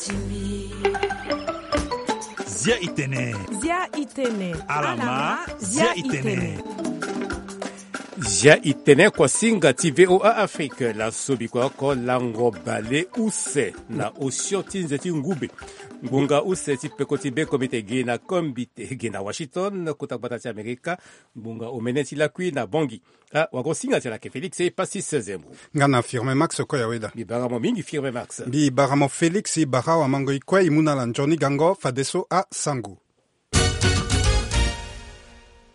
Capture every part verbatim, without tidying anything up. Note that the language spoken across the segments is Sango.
Zia itene. Zia itene. Alama. Zia itene. Zia itene kuasinga ti VOA Afrique. Laso bikua oko lango bale use na osio ti nze ti ngube. Ngbonga use ti peko ti be komite ge na kombi te ge na Washington, kota gbata ti Amerika. Ngbonga omene ti lakui na Bangui. Ah, wagosinga ti ala ke Félix e pasi seize mo. Nga na Firmin Max ko ya weda. Mbi bara mo mingi Firmin Max. Mbi bara mo Félix, i bara wa mango i kue i mu na ala nzoni gango fadeso asango.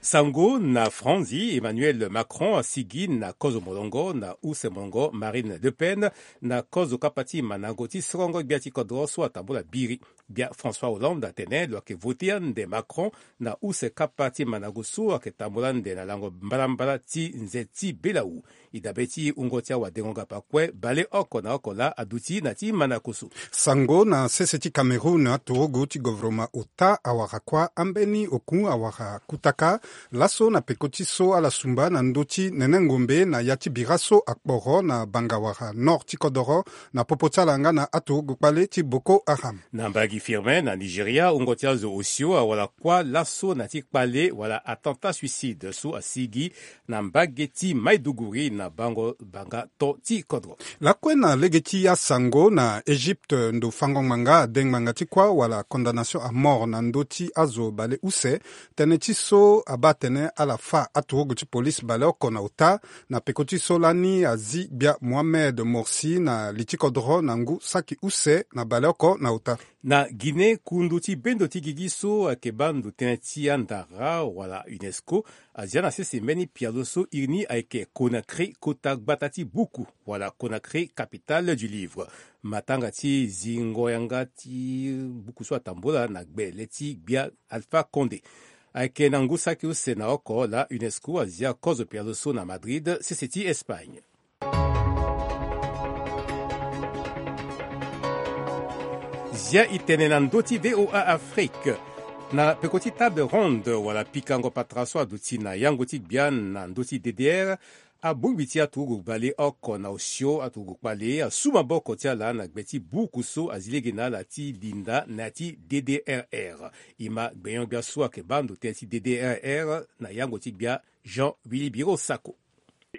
Sango na Franzi, Emmanuel Macron asigi na kozo molongo na use molongo Marine Le Pen na kozo kapa ti mandango ti sorongo gbia ti kodro so atambula biri. Gbia François Hollande atene lo yeke vote ande Macron na use kapa ti mandango so ayeke tambula ande na lango mbalambala ti nze ti belawu. E dabe ti wungo ti awadengo ngapa kue baleoko na oko laa aduti na ti mandango so. Sango na sese ti Cameroun, aturugu ti govoroma ota awara kuâ ambeni oku awara kutaka laso na peko ti so ala sumba na ndö ti nene ngombe na ya ti bira so akporo na banga wara nord ti kodoro na popo ti ala nga na aturugu kpale ti Boko Haram. Na mbagi Firmin na Nigeria, wungo ti azo osio awara kuâ laso na ti kpale wala attentat suicide so asigi na mbage ti Maiduguri na bango banga to ti kodro. Lakue na lege ti asango na Egypte, ndo fango ngbanga ade ngbanga ti kuâ wala condamnation à mort na ndö ti azo bale use, tënë ti so abaa atene ala fâ aturugu ti police baleoko na ota na peko ti so lani azi gbia Mohamed Morsi na li ti kodro na ngu saki use na baleoko na ota. Na Guinée, kundu ti bendo ti gigi so ayeke baa ndo tënë ti andara wala UNESCO azia na sese mbeni pialo so iri ni ayeke Conakry, kota gbata ti buku wala Conakry, capitale du livre. Matanga ti zingo yanga ti buku so atambula na gbe le ti gbia Alpha Condé. Ayeke na ngu saki use na oko laa UNESCO azia kozo pialo so na Madrid, sese ti Espagne. Zia e tene na ndö ti VOA Afrique. Na peko ti table ronde wala pikango patara so aduti na yango ti gbia na ndö ti D D R, abongbi ti aturugu baleoko na osio aturugu kpale asu maboko ti ala na gbe ti buku so azi lege na ala ti linda na ya ti D D R R. E ma gbenyo-gbia so ayeke baa ndo tënë ti D D R R na yango ti gbia Jean Willy Biro Sako.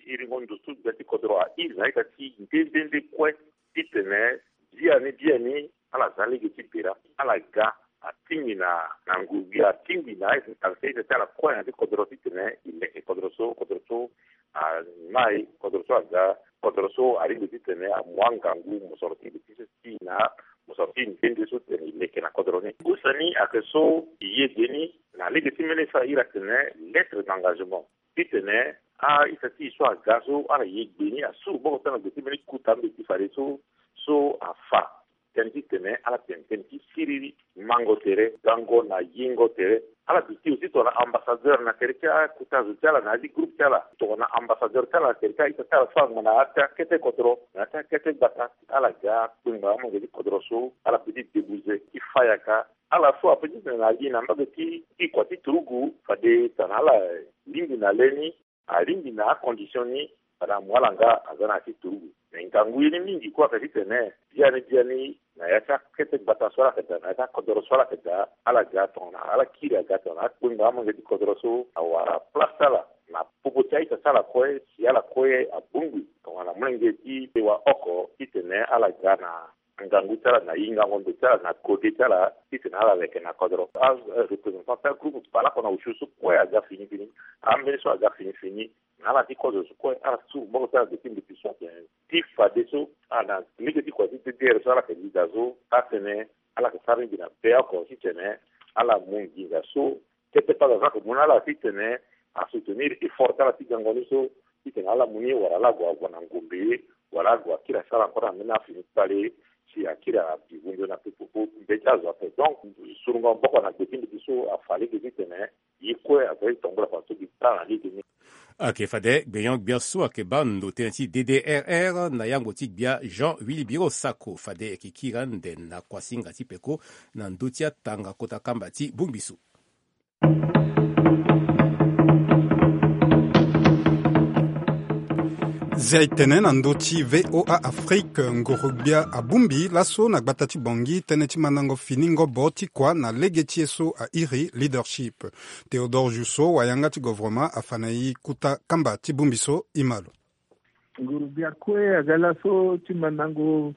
Iri ngu nduzu gbia ti kodro a iri na ita ti nde nde nde kue titene biani biani ala za lege ti bira, ala ga atingbi na, na nguru gbia, atingbi na tangata ti ala kue na ya ti kodro titene e leke kodro so, kodro so amai, kodro so aga, kodro so alingbi titene amu angangu mosoro ti gbe ti so ti na mosoro ti nde nde so titene e leke na kodro ni. Use ni ayeke so e ye gbe ni na lege ti mbeni so a iri atene lettre d'engagement. Titene a-ita ti e so aga so ala ye gbe ni, asu maboko ti ala na gbe ti mbeni kuta mbeti fadeso, so afa tënë titene ala tene tënë ti siriri, mango tere, gango na yengo tere. Ala duti aussi tongana ambassadeur na tere ti akuta zo ti ala na ya ti groupe ti ala, tongana ambassadeur ti ala na tere ti a-ita ti ala so angba na ya ti akete kodro, na ya ti akete gbata, ala ga kpengba amolenge ti kodro so ala peut ti débouser ti fa yaka. Ala so apeut titene na li na mbage ti, ti kua ti turugu, fade tongana ala lingbi na le ni, alingbi na acondition ni, fade amu ala nga aza na ya ti turugu. Me ngangu ye ni mingi kue ayeke titene biani biani na ya ti akete gbata so ala yeke daa, na ya ti akodoro so ala yeke daa, ala ga tongana ala kiri aga tongana akpengba amolenge ti kodro so awara place ti ala na popo ti a-ita ti ala kue, si ala kue abongbi tongana molenge ti sewa oko titene ala ga na ngangu ti ala na hingango ndo ti ala na kode ti ala titene ala leke na kodro. Areprésentant ti agroupe baleoko na osio so kue aga fini fini, ambeni so aga fini fini, na ala ti kozo so kue ala ti suru maboko ti ala gbe ti mbeti so atene ti fadeso ala na lege ti kua ti D D R so ala yeke leader so atene ala yeke sara lingbi na be oko titene ala mu nginza so kete paza so ayeke mu na ala titene asoutenir effort ti ala ti gango ni so titene ala mu ni wala ala gue agua na ngombe wala ala gue akiri asara encore ambeni afini kpale si akiri abi vundu na popo mbe ti azo ape. Donc surungo maboko na gbe ti mbeti so afa lege titene ye kue aza ti tambula fa so gi ti ala na lege ni. Ayeke fade gbenyo-gbia so ayeke baa ndo tënë ti D D R R na yango ti gbia Jean Willy Biro Sako, fade e yeke kiri ande na kuasinga ti peko na ndö ti atanga kota kamba ti bongbi so. Zia e tene na ndö ti VOA Afrique, ngoro-gbia abongbi laso na gbata ti Bangui tënë ti mandango fini ngobo ti kua na lege ti e so a iri leadership. Théodore Jousseau, wayanga ti govoroma, afa na e kota kamba ti bongbi so. E ma lo. Nguru-gbia kue aga laso ti mandango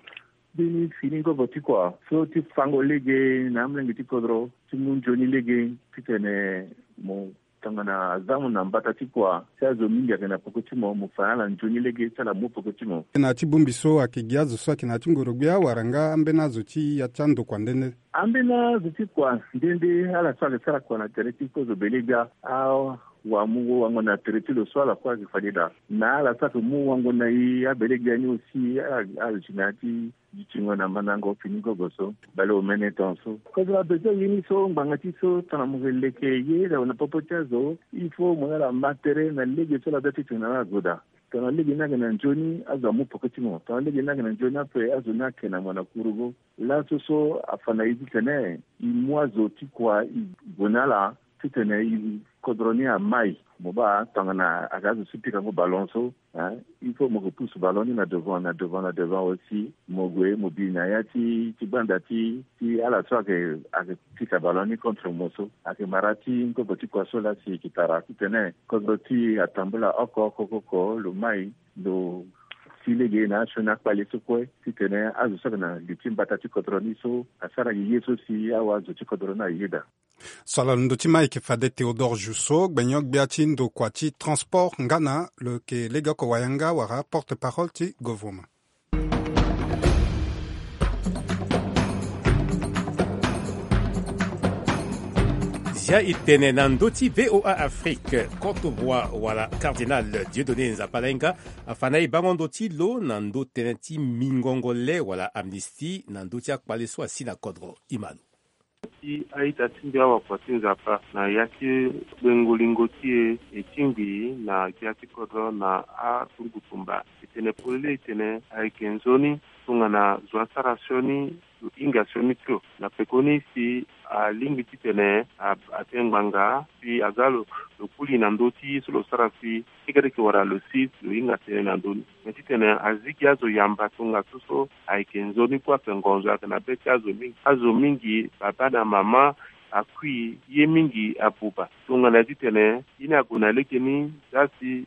mbeni fini ngobo ti kua so ti fango lege na amolenge ti kodro ti mu nzoni lege titene mo tongana aza mo na mbata ti kua si azo mingi ayeke na peko ti mo, mo fa na ala nzoni lege ti ala mu peko ti mo. Na ya ti bongbi so ayeke gi azo so ayeke na ya ti ngoro-gbia wala nga ambeni azo ti ya ti andokua nde nde? Ambeni azo ti kua nde nde, ala so ayeke sara kua na tere ti kozo bele-gbia, awamu wango na tere ti lo so ala kue ayeke fade daa. Na ala so ayeke mu wango na e abele-gbia ni aussi, ala, ala si na ya ti dutingo na mandango fini ngobo so. Bale omene tongaso. Kozo la besoin ye ni so ngbanga ti so tongana mo yeke leke ye na popo ti azo, il faut mo na ala ma tere na lege so ala da ti tene na ala zo daa. Tongana lege ni ayeke na nzoni, azo amu peko ti mo. Tongana lege ni ayeke na nzoni ape, azo ni ayeke na mo na kurugu. Laso so afa na e titene e mu azo ti kua e gue na ala titene e, kodro ni amai. Mo baa tongana aga azo so pikango ballon so, hein, il faut mo ke pousse ballon ni na devant, na devant, na devant aussi. Mo gue mo bi na ya ti, ti gbanda ti, ti ala so ayeke, ayeke pika ballon ni contre mo so. Ayeke mara ti ngobo ti kua so laa si e ke tara titene kodro ti e atambula oko oko oko oko, lo mai, lo si lege na asioni akpale so kue titene azo so ayeke na li ti mbata ti kodro ni so asara gi ye so si awa azo ti kodro ni ayeda. So ala londo ti ma ayeke fade Théodore Jousseau, gbenyo-gbia ti ndokua ti transport nga na lo yeke legeoko wayanga wala porte-parole ti govoroma. Zia e tene na ndö ti VOA Afrique, Courtevoie wala Cardinal Dieudonné Nzapalainga afa na e bango ndö ti lo na ndö tënë ti mingongo le wala amnistie na ndö ti akpale so asi na kodro. E ma lo. Ti a-ita ti mbi awakua ti Nzapa na ya ti gbengo lingo ti e, e tingbi na gbia ti kodro na atungutumba. E tene polele e tene ayeke nzoni tongana zo asara sioni, lo hinga sioni ti lo. Na pekoni si alingbi titene a, atene ngbanga si aga lo, lo kuli na ndö ti ye so lo sara si Ti kete yeke wara lo si lo hinga tënë na ndö ni. Me titene azi gi azo yamba tongaso so ayeke nzoni kue ape ngonzo ayeke na be ti azo mingi. Azo mingi, babâ na mama, akui ye mingi abuba. Tongana titene ye ni ague na legeni, za si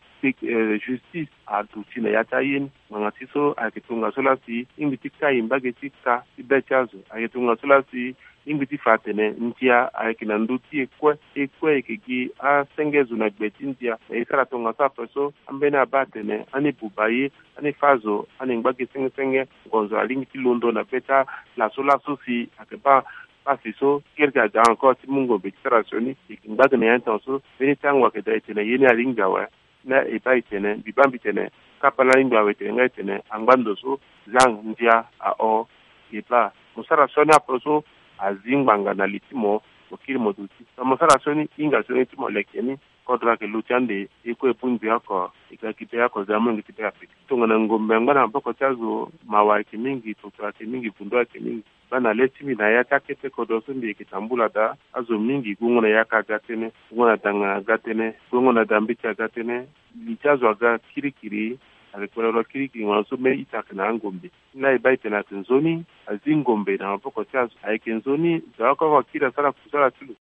justice aduti na ya ti aye ni. Ngbanga ti so ayeke tongaso laa si lingbi ti kai mbage ti ka ti be ti azo. Ayeke tongaso laa si lingbi ti fa atene ndia ayeke na ndö ti e kue. E kue e yeke gi asenge zo na gbe ti ndia. Na e sara tongaso ape so, ambeni abaa atene ani buba ye, ani fâ zo, ani ngba gi senge senge. Ngonzo alingbi ti londo na be ti ala so laso si ayeke baa pasi so, kirikiri aga encore ti mu ngombe ti sara sioni. E yeke ngba gi na ya ni tongaso, mbeni tango ayeke daa e tene ye ni alingbi awe. Na e baa e tene, mbi baa mbi tene, kapa laa alingbi awe tene nga e tene, angba ndo so, zang, ndia, ahon, e baa. Mo sara sioni ape so, azi ngbanga na li ti mo, mo kiri mo duti. Na mo sara sioni, hinga sioni ti mo leke ni, kodro ayeke lo ti ande, e kue e bongbi oko, e ga gi be oko, za molenge ti be ape. Tongana ngombe angba na maboko ti azo, mawa ayeke mingi, toto ayeke mingi, vundo ayeke mingi. Baa na le ti mbi na ya ti akete kodro so mbi yeke tambula daa, azo mingi gongo na yaka aga tënë, gongo na dangana aga tënë, gongo na dambeti aga tënë, li ti azo aga kirikiri, ayeke kpelelo kirikiri, ngana so mbeni ita ayeke na angombe. Ni laa e baa e tene ayeke nzoni, azi ngombe na maboko ti azo, ayeke nzoni, za oko oko akiri asara kusala ti lo.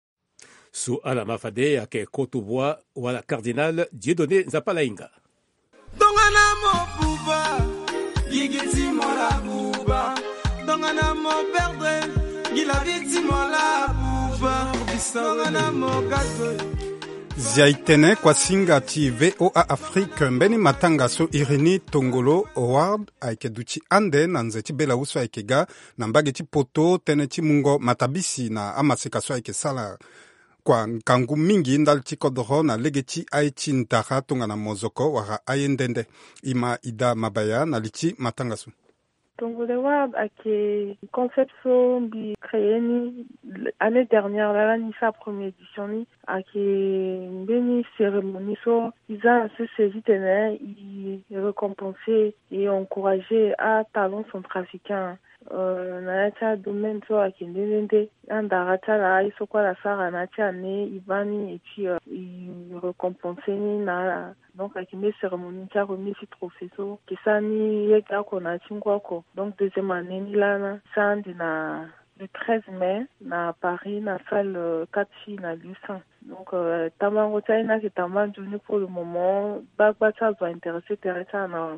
So ala ma fade ayeke Koto Bua wala Cardinal Dieudonné Nzapalainga. Tongana mo buba, gigi ti mo la buba. Tongana mo perdre, gi la vie ti mo la buba. Tongana mo gato. Zia e tene kuasinga ti VOA Afrique, mbeni matanga so iri ni Tongolo Award ayeke duti ande na nze ti bela use ayeke ga na mbage ti poto, tënë ti mungo matabisi na amaseka so ayeke sala kua ngangu mingi ndali ti kodoro na lege ti aye ti ndara tongana mozoko wala aye nde nde. E ma Ida Mabaya na li ti matanga so. Tongolo Award ayeke concept so mbi créé ni année dernière laa, lani sa première édition ni. Ayeke mbeni cérémonie so e za na sese titene e récompenser e encourager atalent centrafricain. Euh, na ya ti adomaine so ayeke nde nde nde. Andara ti ala aye so kue ala sara na ya ti année e baa ni, et puis euh, e récompenser ni na ala. Donc ayeke mbeni cérémonie ti aremise ti trophée so, ayeke sara ni lege oko na ya ti ngu oko. Donc deuxième année ni laa na sara ande na le treize mai na Paris, na salle euh, quatre filles na lieu saint. Donc euh, tambango ti aye ni ayeke tamba nzoni pour le moment. Baa gba ti azo aintéressé tere ti ala na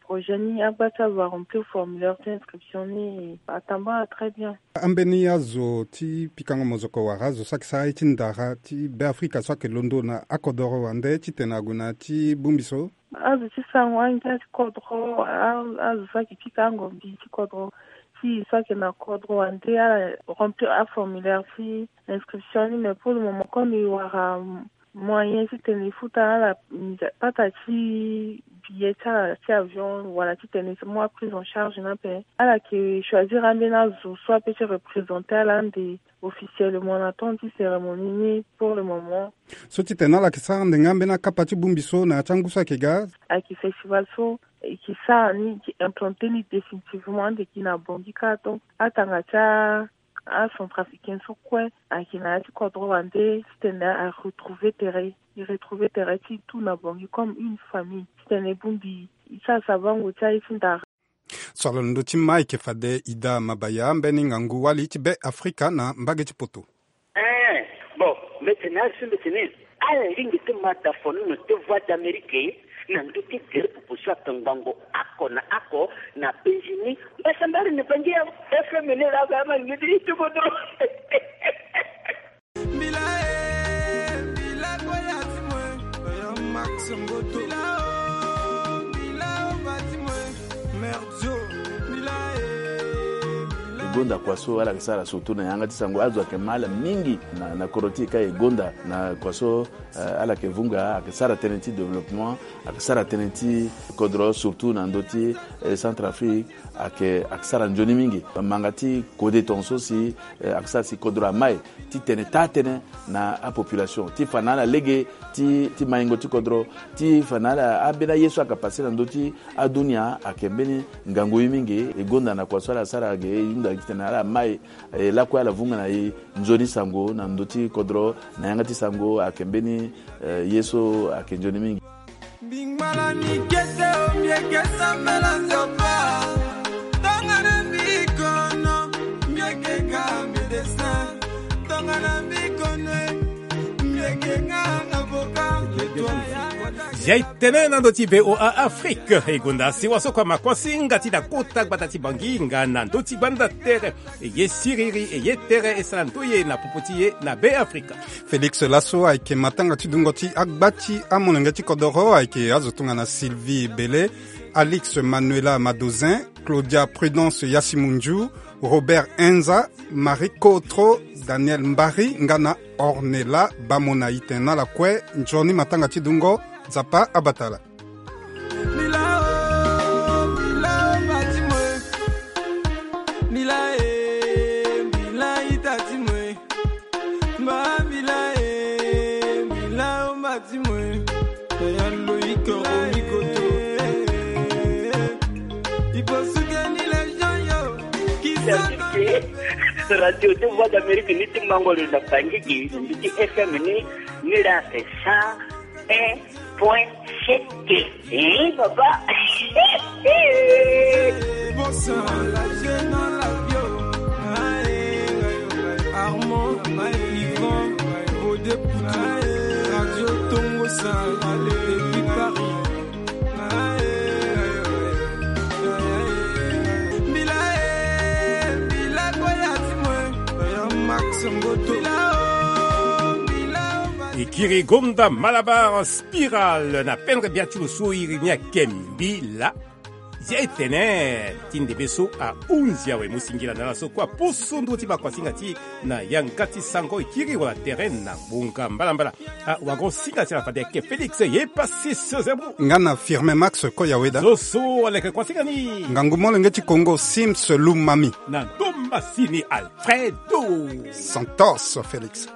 projet ni, agba ti azo aremplir formulaire ti inscription ni, atamba très bien. Ambeni azo ti pikango mozoko wala azo so ayeke sara ye ti ndara ti Beafrika so ayeke londo na akodoro wande titene ague na ya ti bongbi so? Azo ti sango angia ti kodro, a- azo so ayeke pikango mbi ti kodro, ti so ayeke na kodro wande ala remplir aformulaire ti inscription ni. Mais pour le moment comme e wara moyen titene e futa ala pata ti billet ti ala ti avion wala titene e mu aprise en charge ni ape, ala yeke choisir ambeni azo so ape ti représenter ala ande officiellement na temps ti cérémonie ni pour le moment. So titene ala yeke sara ande nga ambeni akapa ti bongbi so na ya ti angu so ayeke ga? Ayeke festival so e yeke sara ni, e yeke implanter ni définitivement ande gi na Bangui kâ. Donc atanga ti a acentrafricain so kue ayeke na ya ti kodro wande titene aretrouver tere, e retrouver tere ti e tout na Bangui comme une famille titene e bongbi e ti asavango ti aye ti ndara. So ala na ndö ti ma ayeke fade Ida Mabaya, mbeni ngangu wali ti Beafrika na mbage ti poto. Eh, bon, mbi tene ala so mbi tene ala lingbi ti ma dafono na te Voix d'Amérique na ndö ti gere popo so atongbango oko na oko na penzi ni. Mbasambari na Bangui ya F M ni laa ba ma lingbi ti ti kodro. Mbila e, mbila koya ti mo e. Oya Max Mboto. Mbila o, mbila o ba ti mo e. Merdio. Mbila e, mbila e. E gonda kua so ala yeke sara surtout na yanga ti sango, azo ayeke ma ala mingi na, na kodro ti e ka e gonda na kua so, eh, ala yeke vunga, ayeke sara tënë ti développement, ayeke sara tënë ti kodro surtout na ndö ti, eh, Centrafrique. Ayeke, ayeke sara nzoni mingi. Manga ti kode tongaso si, eh, ayeke sara si kodro amai titene taa tënë na apopulation ti fa na ala lege ti, ti maingo ti kodro, ti fa na ala ambeni aye so ayeke pase na ndö ti adunia. Ayeke mbeni ngangu ye mingi. E gonda na kua so ala sara ge e hunda titene ala mai, eh, lakue ala vunga na e nzoni sango na ndö ti kodro na yanga ti sango. Ayeke mbeni, eh, ye so ayeke nzoni mingi. Mbingbalani kete o, mbi yeke sambela Nzapa. Tongana mbi kono, mbi yeke ga médecin. Tongana mbi kono, mbi yeke ga avocat. Zia e tene na ndö ti V O A Afrique. E gonda sewa so kua makuasinga ti na kota gbata ti Bangui nga na ndö ti gbanda tere. E ye siriri, e ye tere, e sara ndoye na popo ti e na Beafrika. Félix laso ayeke matanga ti dungo ti agba ti amolenge ti kodoro, ayeke azo tongana Sylvie Bele, Alix Manuela Madozin, Claudia Prudence Yassimundiou, Robert Enza, Marie Kotro, Daniel Mbari nga na Ornella Bamona. Itene na ala kue nzoni matanga ti dungo, Nzapa abata ala. Mbila o, mbila o ba ti mo e. Mbila e, mbila ita ti mo e. Mba mbila e, mbila o ba ti mo e. Yaya Loïc Romi Koto. Il faut soutenir les gens yo. Qui sont dans le... Radio de Voix d'Amérique ni ti mango lo na Bangui, ni ti F M ni, ni la c'est ça. Un point sept. Eh, papa. Bon, ça, la jeune dans la bio. Armand, Yvan, Odé Poutou, Radio Tongo, ça, depuis Paris. Mbila e, mbila koya ti mo e. Max Mboto. E kiri gonda Malabar Spiral na pendre bia ti lo so iri ni ayeke mbila. Zia e tene ti ndembe so ahunzi awe. Mo singila na ala so kue aposo ndö ti makuasinga ti e na yanga ti sango. E kiri wala tere na ngbonga mbalambala. Ah, wago singa ti ala fade ayeke Félix ye Passis Zembo. Nga na Firmin Max Koyaweda. So so aleke kuasinga ni. Ngangu molenge ti Congo Sims Lumami. Na ndomba si ni Alfredo Santos Félix.